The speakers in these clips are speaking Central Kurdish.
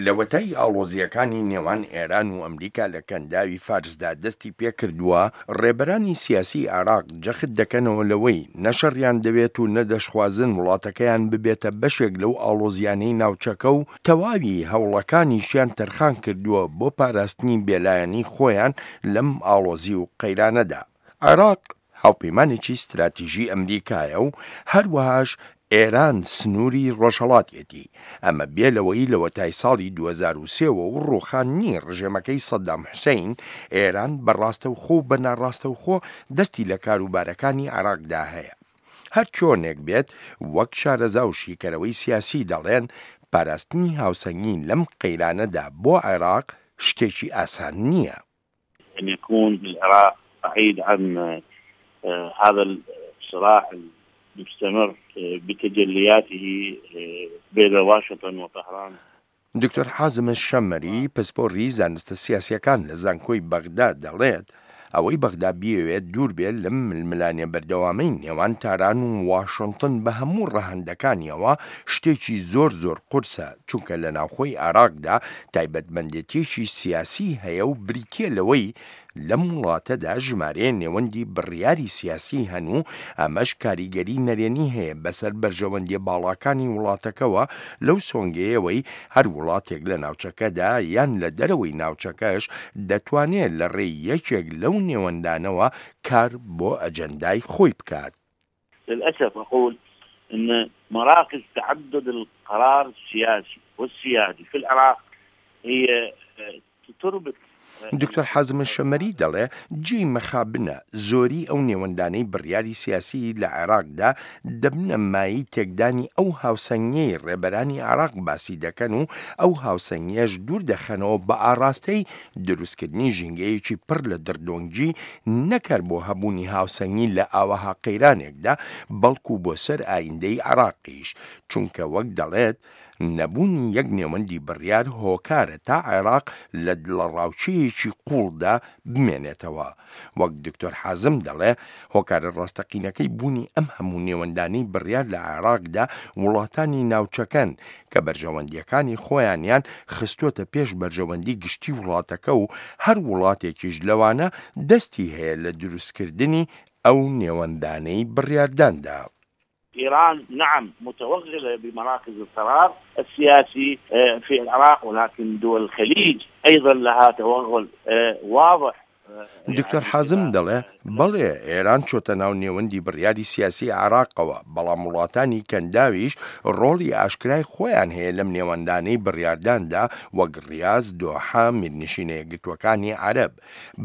لەوەتای ئاڵۆزییەکانی نێوان ئێران و ئەمریکا لە کەنداوی فارسدا دەستی پێکردووە، ڕێبەرانی سیاسیی عێراق جەخت دەکەنەوە لەوەی نە شەڕیان دەوێت و نە دەشخوازن وڵاتەکەیان ببێتە بەشێک لەو ئاڵۆزییانەی ناوچەکە و تەواوی هەوڵەکانیشیان تەرخان کردووە بۆ پاراستنی بێلایەنی خۆیان لەم ئاڵۆزی و قەیرانەدا. عێراق هاوپەیمانێکی ستراتیژی ئەمریکایە و هەروەهاش ئێران سنووری ڕۆژهەڵاتیەتی، ئەمە بێ لەوەی لەوەتای ساڵی 2003 وە و ڕووخاندنی ڕژێمەکەی سەدام حوسەین، ئێران بە ڕاستەوخۆ و بە ناڕاستەوخۆ دەستی لە کاروبارەکانی عێراقدا هەیە. هەر چۆنێک بێت وەک شارەزا و شیکەرەوەی سیاسی دەڵێن، پاراستنی هاوسەنگی لەم قەیرانەدا بۆ عێراق شتێکی ئاسان نییە. أن يكون العراق بعيد عن هذا الصراع المستمر بتجلياته بين واشنطن وطهران. دکتۆر حازم شەمەری، پسپۆڕی زانستە سیاسییەکان لە زانکۆی بەغدا دەڵێت، ئەوەی بەغدا بیەوێت دوور بێت لەم ململانێ بەردەوامەی نێوان تاران و واشنتن بە هەموو ڕەهەندەکانیەوە شتێکی زۆر زۆر قورسە، چونکە لە ناوخۆی عێراقدا تایبەتمەندێتیەکی سیاسی هەیە و بریتیە لەوەی لەم وڵاتەدا ژمارەیە نێوەندی بڕیاری سیاسی هەن و ئەمەش کاریگەری نەرێنی هەیە بەسەر بەرژەوەندیە باڵاکانی وڵاتەکەوە لەو سۆنگەیەوەی هەر وڵاتێک لە ناوچەکەدا یان لە دەرەوەی ناوچەکەش دەتوانێ لە ڕێی یەکێک لەو نێوەندانەوە کار بۆ ئەجەندای خۆی بکات. للأسف أقول أن مراكز تعدد القرار السياسي والسيادي في العراق هي تربط دکتۆر حازم الشەمەری دەڵێ، جێی مەخابنە زۆری ئەو نێوەندانەی بڕیاری سیاسی لە عێراقدا دەبنە مایەی تێکدانی ئەو هاوسەنگیەی ڕێبەرانی عێراق باسی دەکەن و ئەو هاوسەنگیەش دوور دەخەنەوە بە ئاڕاستەی دروستکردنی ژینگەیەکی پڕ لە دڕدۆنگی نەک هەر بۆ هەبوونی هاوسەنگی لە ئاوەها قەیرانێکدا بەڵکو بۆ سەر ئایندەی عێراقیش چونکە وەک دەڵێت نەبوونی یەک نێوەندی بڕیار هۆکارە تا عێراق لە دڵەڕاوکێیەکی قووڵدا بمێنێتەوە. وەک دکتۆر حازم دەڵێ، هۆکارە ڕاستەقینەکەی بوونی ئەم هەموو نێوەندانەی بڕیار لە عێراقدا وڵاتانی ناوچەکەن کە بەرژەوەندییەکانی خۆیانیان خستووەتە پێش بەرژەوەندی گشتی وڵاتەکە و هەر وڵاتێکیش لەوانە دەستی هەیە لە دروستکردنی ئەو نێوەندانەی بڕیارداندا. إيران نعم متوغلة بمراكز القرار السياسي في العراق ولكن دول الخليج أيضا لها توغل واضح دکتۆر حازم دەڵێ، بەڵێ ئێران چۆتە ناو نێوەندی بڕیاری سیاسی عێراقەوە، بەڵام وڵاتانی کەنداویش ڕۆڵی ئاشکرای خۆیان هەیە لەم نێوەندانەی بڕیارداندا وەک ڕیاز، دۆحە، میرنشینە یەکگرتووەکانی عەرەب.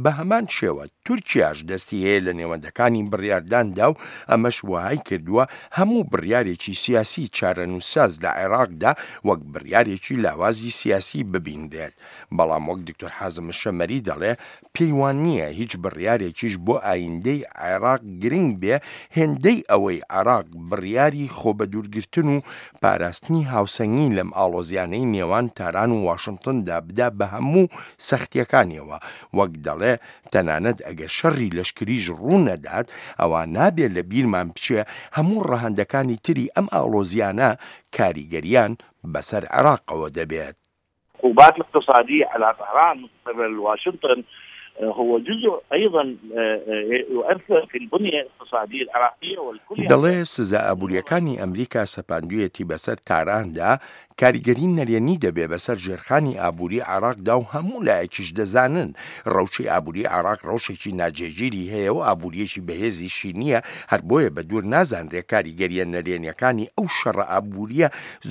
بە هەمان شێوە تورکیاش دەستی هەیە لە نێوەندەکانی بڕیارداندا و ئەمەش وەهای کردووە هەموو بڕیارێکی سیاسی چارەنووسساز لە عێراقدا وەک بڕیارێکی لاوازی سیاسی ببینرێت. بەڵام وەک دکتۆر حازم شەمەری دەڵێ پێی وا نییە هیچ بڕیارێکیش بۆ ئایندەی عێراق گرنگ بێ هێندەی ئەوەی عێراق بڕیاری خۆبەدوورگرتن و پاراستنی هاوسەنگی لەم ئاڵۆزیانەی نێوان تاران و واشنتندا بدا بە هەموو سەختیەکانیەوە، وەک دەڵێ تەنانەت ئەگەر شەڕی لەشکریش ڕوو نەدات ئەوا نابێ لە بیرمان بچێ هەموو ڕەهەندەکانی تری ئەم ئاڵۆزیانە کاریگەریان بەسەر عێراقەوە دەبێت. العقوبات الاقتصادية على طهران من قبل واشنطن هو جزء أيضا يؤثر في البنية الاقتصادية العراقية والكل دەڵێ سزا ئابوورییەکانی ئەمریکا سەپاندوویەتی بەسەر تاراندا کاریگەری نەرێنی دەبێ بەسەر ژێرخانی ئابووری عێراقدا و هەموو لایەکیش دەزانن ڕەوشی ئابووری عێراق ڕەوشێکی ناجێگیری هەیە و ئابوورییەکی بەهێزیشی نییە هەر بۆیە بە دوور نازانرێ کاریگەرییە نەرێنییەکانی ئەو شەڕە ئابوورییە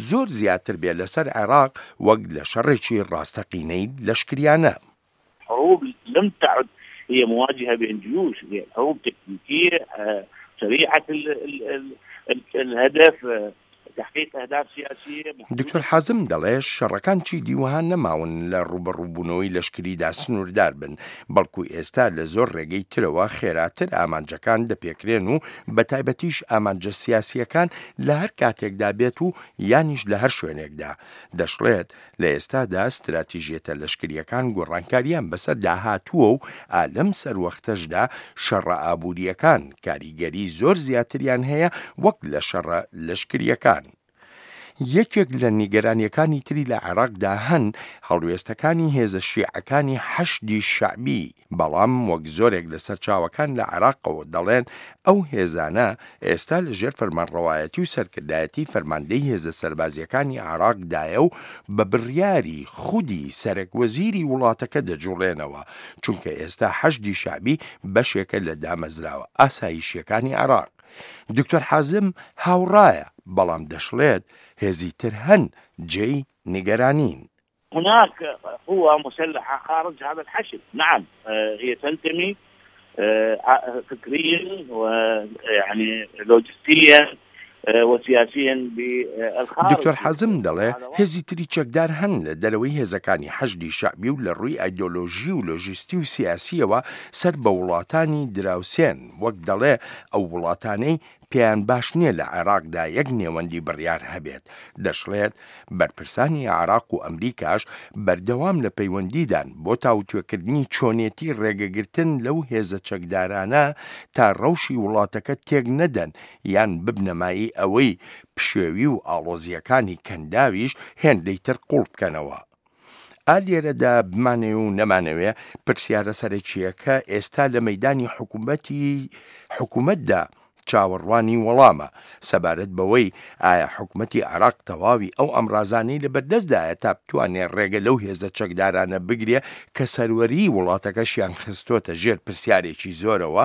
زۆر زیاتر بێ لەسەر عێراق وەک لە شەڕێکی ڕاستەقینەی لەشکریانە. حروب لم تعد هي مواجهة بين جيوش هي حروب تكتيكية سريعة الهدف تحقيق أهداف سياسية دکتۆر حازم دەڵێ شەڕەکان چیدی وەها نەماون لە ڕووبەڕووبوونەوەی لەشکریدا سنووردار بن، بەڵکو ئێستا لە زۆر ڕێگەی ترەوە خێراتر ئامانجەکان دەپێکرێن و بەتایبەتیش ئامانجە سیاسییەکان لە هەر کاتێکدا بێت و یانیش لە هەر شوێنێکدا. دەشڵێت، لە ئێستادا ستراتیژیەتە لەشکرییەکان گۆڕانکارییان بەسەردا هاتووە و ئا لەم سەروەختەشدا شەڕە ئابوورییەکان کاریگەری زۆر زیاتریان هەیە وەک لە شەڕە لەشکرییەکان. یەکێک لە نیگەرانییەکانی تری لە عێراقدا هەن، هەڵوێستەکانی هێزە شیعەکانی حەشدی شەعبی، بەڵام وەک زۆرێک لە سەرچاوەکان لە عێراقەوە دەڵێن ئەو هێزانە ئێستا لە ژێر فەرمانڕەوایەتی و سەرکردایەتی فەرماندەی هێزە سەربازییەکانی عێراقدایە و بە بڕیاری خودی سەرەک وەزیری وڵاتەکە دەجوڵێنەوە، چونکە ئێستا حەشدی شەعبی بەشێکە لە دامەزراوە ئاسایشییەکانی عێراق. دکتۆر حازم هاوڕایە، بەڵام دەشڵێت هێزی تر هەن جێی نیگەرانین. هناك قوى مسلحة خارج هذا الحشد نعم هي تنتمي فكريا ويعني لوجستيا وسیاسیا بالخارج. دکتۆر حازم دەڵێ، هێزی تری چەکدار هەن لە دەرەوەی هێزەکانی حەشدی شەعبی و لە ڕووی ئایدۆلۆژی و لۆژیستی و سیاسییەوە سەر بە وڵاتانی دراوسێن، وەک دەڵێ ئەو وڵاتانەی پێیان باش نییە لە عێراقدا یەک نێوەندی بڕیار هەبێت. دەشڵێت، بەرپرسانی عێراق و ئەمریکاش بەردەوام لە پەیوەندیدان بۆ تاوتوێکردنی چۆنێتی ڕێگەگرتن لەو هێزە چەکدارانە تا ڕەوشی وڵاتەکە تێک نەدەن یان ببنە مایەی ئەوەی پشێوی و ئاڵۆزییەکانی کەنداویش هێندەی تر قووڵ بکەنەوە. ئا لێرەدا بمانەوێ و نەمانەوێ پرسیارە سەرەکییەکە ئێستا لە مەیدانی حکومەتی حکومەتدا چاوەڕوانی وەڵامە سەبارەت بەوەی ئایا حکومەتی عێراق تەواوی ئەو ئامرازانەی لەبەردەستدایە تا بتوانێ ڕێگە لەو هێزە چەکدارانە بگرێ کە سەروەریی وڵاتەکەشیان خستۆتە ژێر پرسیارێکی زۆرەوە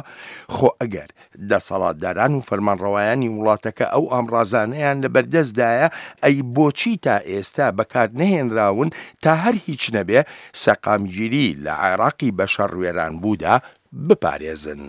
خۆ ئەگەر دەسەڵاتداران و فەرمانڕەوایانی وڵاتەکە ئەو ئامڕازانەیان لەبەردەستدایە، ئەی بۆچی تا ئێستا بەکارنەهێنراون تا هەر هیچ نەبێ سەقامگیری لە عێراقی بەشەڕ وێرانبوودا بپارێزن؟